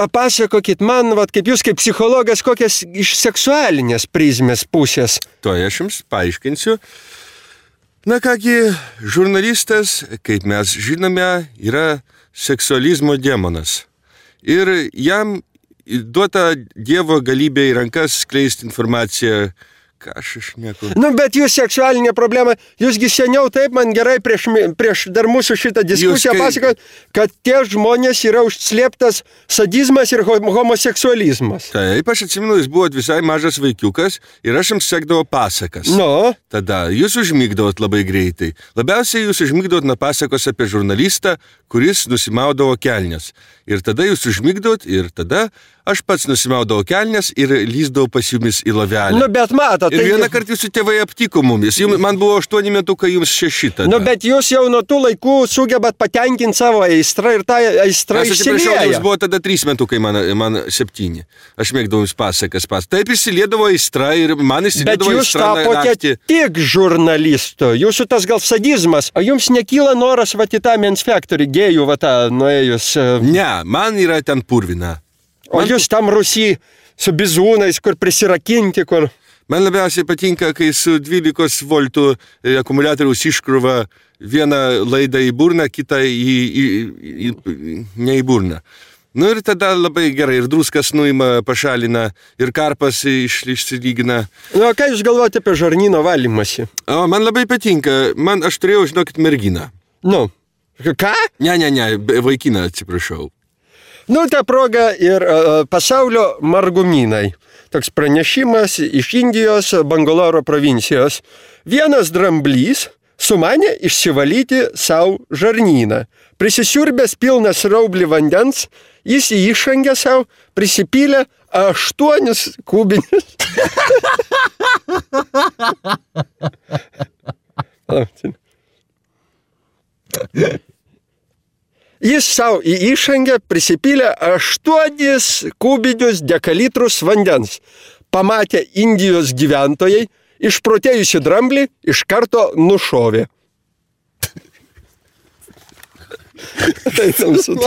Papasakokit man, kaip jūs kaip psichologas, kokias iš seksualinės prizmės pusės. To aš jums paaiškinsiu. Na kągi, žurnalistas, kaip mes žinome, yra seksualizmo demonas. Ir jam duota Dievo galybė į rankas skleisti informaciją. Ką aš šneku? Bet jūs seksualinė problema, jūsgi seniau taip man gerai prieš dar mūsų šitą diskusiją pasakot, kad tie žmonės yra užslėptas sadizmas ir homoseksualizmas. Taip, aš atsimenu, jūs buvot visai mažas vaikiukas ir aš jums sekdavo pasakas. Tada jūs užmigdavot labai greitai. Labiausiai jūs užmigdavot nuo pasakos apie žurnalistą, kuris nusimaudavo kelnes. Ir tada jūs užmigdavot ir tada aš pats nusimaudavau kelnes ir lyzdavau pas jumis į lovelę. Bet matot. Ir vieną kartą jūsų tėvai aptiko mumis. Man buvo 8 metukai, jums 6 tada. Bet jūs jau nuo tų laikų sugebat patenkinti savo aistrą ir tą aistrą išsilieja. Jums buvo tada 3 metukai, man 7. Aš mėgdavau jums pasakas. Taip išsiliedavo aistra ir man išsiliedavo aistra naktį. Bet jūs tapote tik žurnalistu. Jūsų tas gal sadizmas. O jums nekyla noras į tą Men's Factory gėjų nuėjus? Ne, man yra ten purvina. O jūs tam Rusy su bizūnais, kur prisirakinti, kur... Man labiausiai patinka, kai su 12 voltų akumuliatoriaus iškrova vieną laidą į burną, kitą ne į burną. Ir tada labai gerai, ir druskas nuima, pašalina, ir karpas išsilygina. Ką jūs galvojate apie žarnyno valymąsi? Man labai patinka, aš turėjau, žinokit, merginą. Ką? Ne, vaikiną, atsiprašau. Ta proga ir pasaulio margumynai. Toks pranešimas iš Indijos Bangaloro provincijos. Vienas dramblys sumanė išsivalyti savo žarnyną. Prisisiurbęs pilnas raublį vandens, jis į išangę savo prisipylė 8 kubinius. Jis savo į išangę prisipylė 8 kubinius dekalitrus vandens. Pamatė Indijos gyventojai, išprotėjusi dramblį iš karto nušovė. Tai tamsu.